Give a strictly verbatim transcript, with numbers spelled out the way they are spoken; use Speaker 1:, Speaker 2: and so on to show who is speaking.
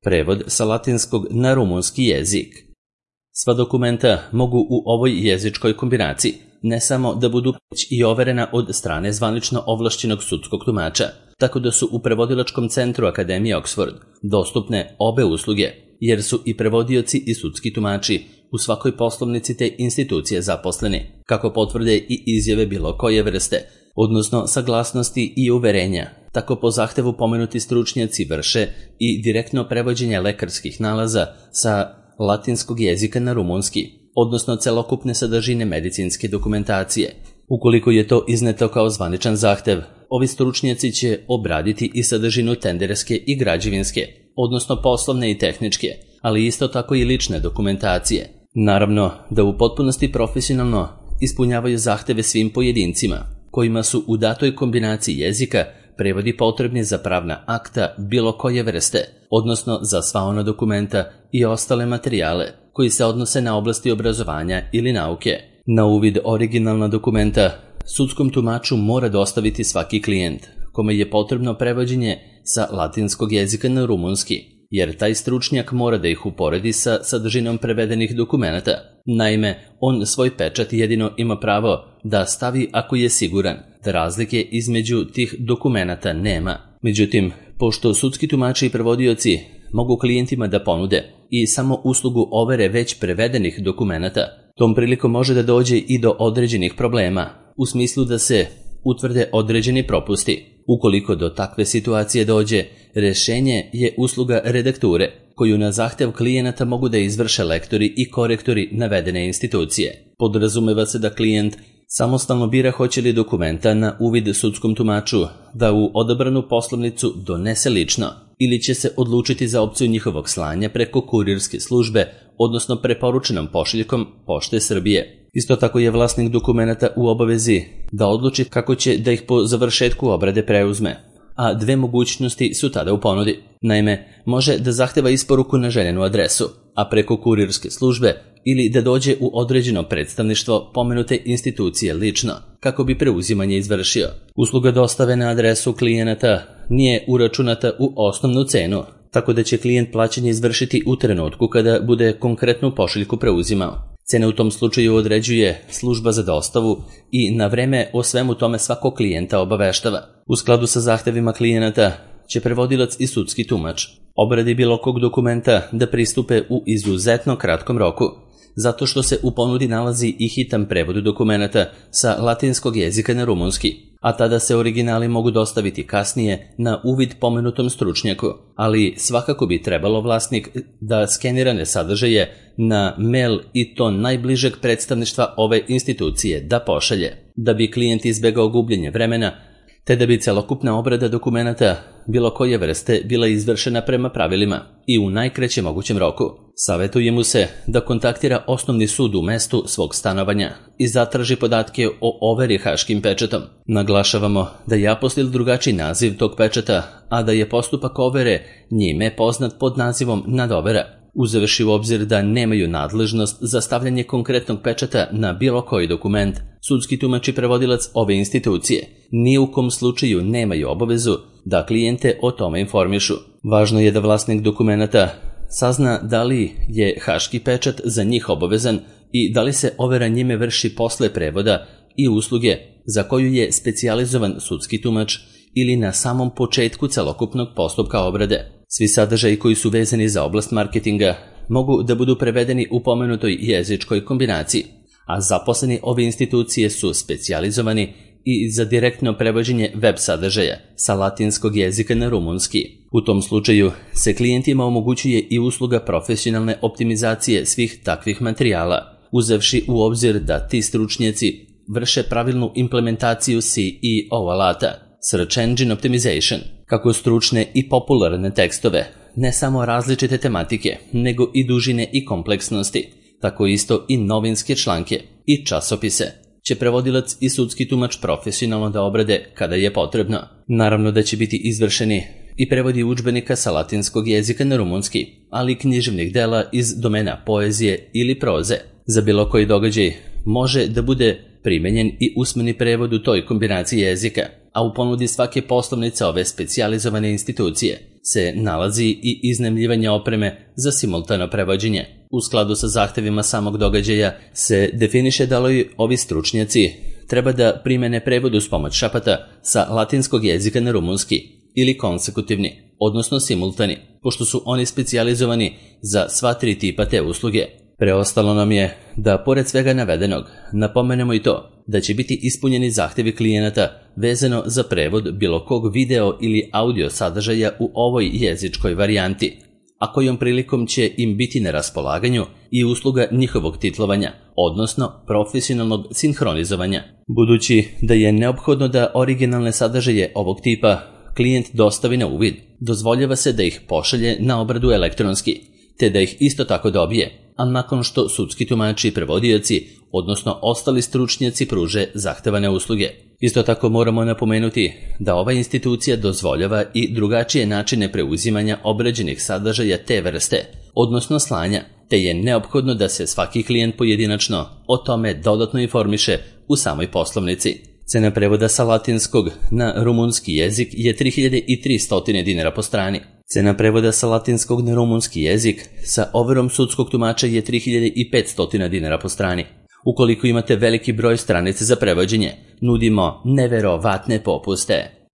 Speaker 1: Prevod sa latinskog na rumunski jezik. Sva dokumenta mogu u ovoj jezičkoj kombinaciji ne samo da budu već i overena od strane zvanično ovlašćenog sudskog tumača, tako da su u prevodilačkom centru Akademije Oxford dostupne obe usluge, jer su i prevodioci i sudski tumači u svakoj poslovnici te institucije zaposleni, kako potvrde i izjave bilo koje vrste, odnosno saglasnosti i uverenja. Tako po zahtevu pomenuti stručnjaci vrše i direktno prevođenje lekarskih nalaza sa latinskog jezika na rumunski, odnosno celokupne sadržine medicinske dokumentacije. Ukoliko je to izneto kao zvaničan zahtev, ovi stručnjaci će obraditi i sadržinu tenderske i građevinske, odnosno poslovne i tehničke, ali isto tako i lične dokumentacije. Naravno da u potpunosti profesionalno ispunjavaju zahteve svim pojedincima, kojima su u datoj kombinaciji jezika prevodi potrebni za pravna akta bilo koje vrste, odnosno za sva ona dokumenta i ostale materijale koji se odnose na oblasti obrazovanja ili nauke. Na uvid originalna dokumenta sudskom tumaču mora dostaviti svaki klijent, kome je potrebno prevođenje sa latinskog jezika na rumunski, jer taj stručnjak mora da ih uporedi sa sadržinom prevedenih dokumenata. Naime, on svoj pečat jedino ima pravo da stavi ako je siguran da razlike između tih dokumenata nema. Međutim, pošto sudski tumači i prevodioci mogu klijentima da ponude i samo uslugu overe već prevedenih dokumenata, tom prilikom može da dođe i do određenih problema, u smislu da se utvrde određeni propusti. Ukoliko do takve situacije dođe, rešenje je usluga redakture, koju na zahtev klijenata mogu da izvrše lektori i korektori navedene institucije. Podrazumeva se da klijent samostalno bira hoće li dokumenta na uvid sudskom tumaču da u odabranu poslovnicu donese lično ili će se odlučiti za opciju njihovog slanja preko kurirske službe, odnosno preporučenom pošiljkom Pošte Srbije. Isto tako je vlasnik dokumenata u obavezi da odluči kako će da ih po završetku obrade preuzme, a dve mogućnosti su tada u ponudi. Naime, može da zahteva isporuku na željenu adresu, a preko kurirske službe, ili da dođe u određeno predstavništvo pomenute institucije lično, kako bi preuzimanje izvršio. Usluga dostave na adresu klijenata nije uračunata u osnovnu cenu, tako da će klijent plaćanje izvršiti u trenutku kada bude konkretnu pošiljku preuzimao. Cene u tom slučaju određuje služba za dostavu i na vreme o svemu tome svakog klijenta obaveštava. U skladu sa zahtevima klijenata će prevodilac i sudski tumač obradi bilo kog dokumenta da pristupe u izuzetno kratkom roku, zato što se u ponudi nalazi i hitan prevod dokumenta sa latinskog jezika na rumunski, a tada se originali mogu dostaviti kasnije na uvid pomenutom stručnjaku, ali svakako bi trebalo vlasnik da skenirane sadržaje na mail i to najbližeg predstavništva ove institucije da pošalje, da bi klijent izbegao gubljenje vremena, te da bi celokupna obrada dokumenata bilo koje vrste bila izvršena prema pravilima i u najkraćem mogućem roku. Savetuje mu se da kontaktira osnovni sud u mestu svog stanovanja i zatraži podatke o overi haškim pečatom. Naglašavamo da je apostil drugačiji naziv tog pečata, a da je postupak overe njime poznat pod nazivom nadovera, uzevši u obzir da nemaju nadležnost za stavljanje konkretnog pečata na bilo koji dokument. Sudski tumač i prevodilac ove institucije ni u kom slučaju nemaju obavezu da klijente o tome informišu. Važno je da vlasnik dokumenata sazna da li je haški pečat za njih obavezan i da li se overa njime vrši posle prevoda i usluge za koju je specijalizovan sudski tumač ili na samom početku celokupnog postupka obrade. Svi sadržaji koji su vezani za oblast marketinga mogu da budu prevedeni u pomenutoj jezičkoj kombinaciji, a zaposleni ove institucije su specijalizovani i za direktno prevođenje web sadržaja sa latinskog jezika na rumunski. U tom slučaju se klijentima omogućuje i usluga profesionalne optimizacije svih takvih materijala, uzevši u obzir da ti stručnjaci vrše pravilnu implementaciju C E O alata, Search Engine Optimization, kako stručne i popularne tekstove, ne samo različite tematike, nego i dužine i kompleksnosti, tako isto i novinske članke i časopise, će prevodilac i sudski tumač profesionalno da obrade kada je potrebno. Naravno da će biti izvršeni i prevodi udžbenika sa latinskog jezika na rumunski, ali i književnih dela iz domena poezije ili proze. Za bilo koji događaj može da bude primenjen i usmeni prevod u toj kombinaciji jezika, a u ponudi svake poslovnice ove specijalizovane institucije se nalazi i iznajmljivanje opreme za simultano prevođenje. U skladu sa zahtevima samog događaja se definiše da li ovi stručnjaci treba da primene prevod uz pomoć šapata sa latinskog jezika na rumunski ili konsekutivni, odnosno simultani, pošto su oni specijalizovani za sva tri tipa te usluge. Preostalo nam je da, pored svega navedenog, napomenemo i to da će biti ispunjeni zahtevi klijenata vezano za prevod bilo kog video ili audio sadržaja u ovoj jezičkoj varijanti, a kojom prilikom će im biti na raspolaganju i usluga njihovog titlovanja, odnosno profesionalnog sinhronizovanja. Budući da je neophodno da originalne sadržaje ovog tipa klijent dostavi na uvid, dozvoljava se da ih pošalje na obradu elektronski, te da ih isto tako dobije, a nakon što sudski tumači i prevodioci, odnosno ostali stručnjaci pruže zahtevane usluge. Isto tako moramo napomenuti da ova institucija dozvoljava i drugačije načine preuzimanja obrađenih sadržaja te vrste, odnosno slanja, te je neophodno da se svaki klijent pojedinačno o tome dodatno informiše u samoj poslovnici. Cena prevoda sa latinskog na rumunski jezik je tri hiljade tristo dinara po strani. Cena prevoda sa latinskog na rumunski jezik sa overom sudskog tumača je tri hiljade petsto dinara po strani. Ukoliko imate veliki broj stranica za prevođenje, nudimo neverovatne popuste.